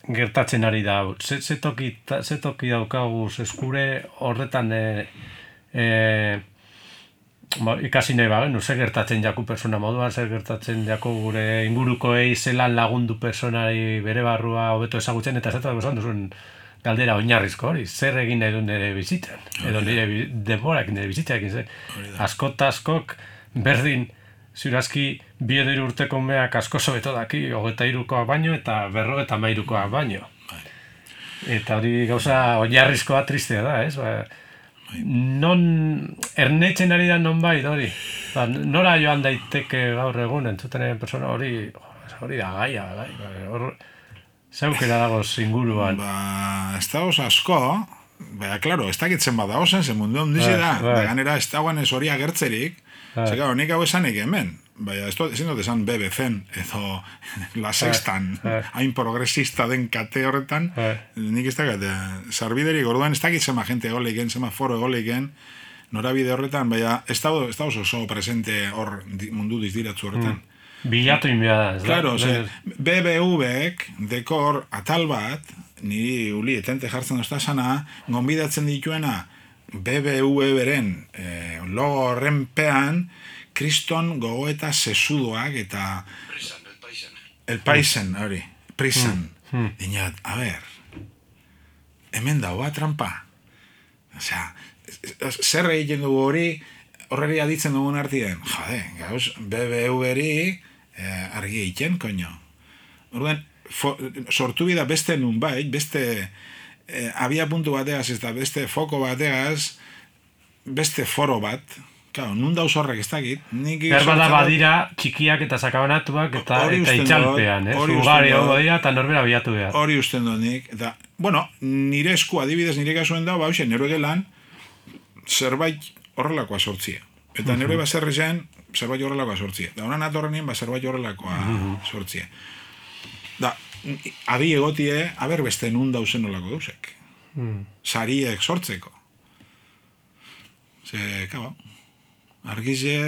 S1: gertatzen ari da hau, ze toki daukagu eskure horretan ikasi nahi bagenu, zer gertatzen jaku persona moduan, zer gertatzen jaku gure ingurukoei zelan lagundu personari bere barrua hobeto ezagutzen, eta ez esan duzuen galdera oinarrizko hori, zer egin nahi du nire bizitzen, edo nire denborak nire bizitzaekin, askok berdin, ziurazki 2 urteko meak asko sobeto daki, 23koak baino eta 53koak baino. Eta hori gauza oinarrizkoa tristea da, ez? Non ernetzen ari da nonbait hori. Nora joan daiteke gaur egun entzuten persona hori da gaia, hor zeukera dagoz inguruan.
S2: Ez dagoz asko, klaro, ez dakitzen bada ozen, ze mundu ondizi da, ganera ez dagoen ez hori agertzerik, ze nik hau esanik hemen, ezin dut esan BBC-en, edo La Sextan, hain progresista den kate horretan, nik ez dakat, sarbiderik orduan ez dakitzen ma gente egoleiken, zema foro egoleiken, norabide horretan, ez dagoz oso presente hor mundu dizdiratzu horretan.
S1: Bilatu inbia da, ez da?
S2: Claro, BBV-ek dekor atal bat, niri uli etente jartzen doztasana, gonbidatzen dituena BBV beren logo horrenpean kriston gogoeta sesudoak eta el paisen, hori, prisan. Dinat, a ver, hemen dagoa trampa. Osea, zer egiten dugu horreri aditzen dugun artien? Jode, gauz, BBV-eri argi egiten, koño. Orduan, sortu bida beste nunbait, beste abia puntu bategaz, ez da beste foko bategaz, beste foro bat, claro, nun dauz horrek ez dakit.
S1: Berbada badira txikiak eta sakabanatuak eta itxalpean, ugari hau dira eta norbera bilatu behar.
S2: Hori usten dut nik, eta, bueno, nire esku adibidez nire kasuen dago, nire gelan, zerbait horrelakoa sortzia. Eta nire baserri zen, zerbait horrelakoa sortzia. Da honan atorrenien, zerbait horrelakoa sortzia. Da, adi egotie, aber beste nun dauzen olako dauzek. Sariek sortzeko. Ze, kaba, argize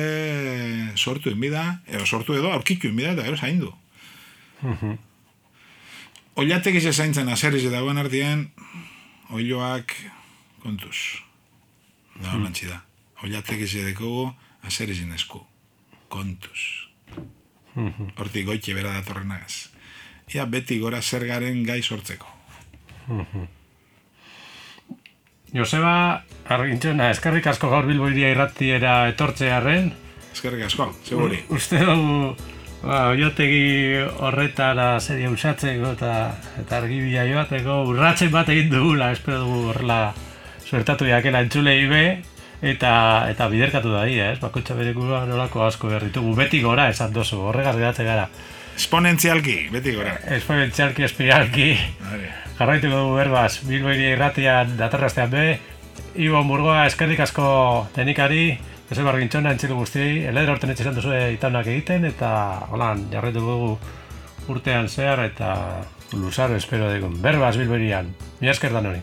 S2: sortu enbida, sortu edo aurkitu enbida, eta gero zaindu. Oilatek ize zaintzen azerrize dagoen artien, oiloak kontuz. Da, holantzi da. Oilatek ize dekogu azerrizen esku. Kontuz. Hortik goitxe bera datorrenagaz. Ia beti gora zer garen gai sortzeko.
S1: Joseba Argintxona, eskerrik asko gaur Bilbo Hiria irratiera etortzearren.
S2: Eskerrik asko, seguri.
S1: Uste dugu oiotegi horretara seria usatzeko eta argibila joateko urratzen bat egin dugula, espero dugu horrela suertatu jakela entzulei be, eta biderkatu da dira, bakoitza berekua nolako asko behar ditugu, beti gora esan dozu, horregaz gehatzen gara.
S2: Esponentzialki, beti gora.
S1: Esponentzialki, espiralki, jarraituko dugu berbaz, Bilbo Hiria Irratian datorrastean be, Ibon Burgoa eskerrik asko teknikari, Joseba Argintxona entzilu guztiei, eledra orten etxesan duzu itaunak egiten, eta holan, jarraituko dugu urtean zehar, eta luzaro espero dugun. Berbaz Bilbo Hirian, mila esker dan hori.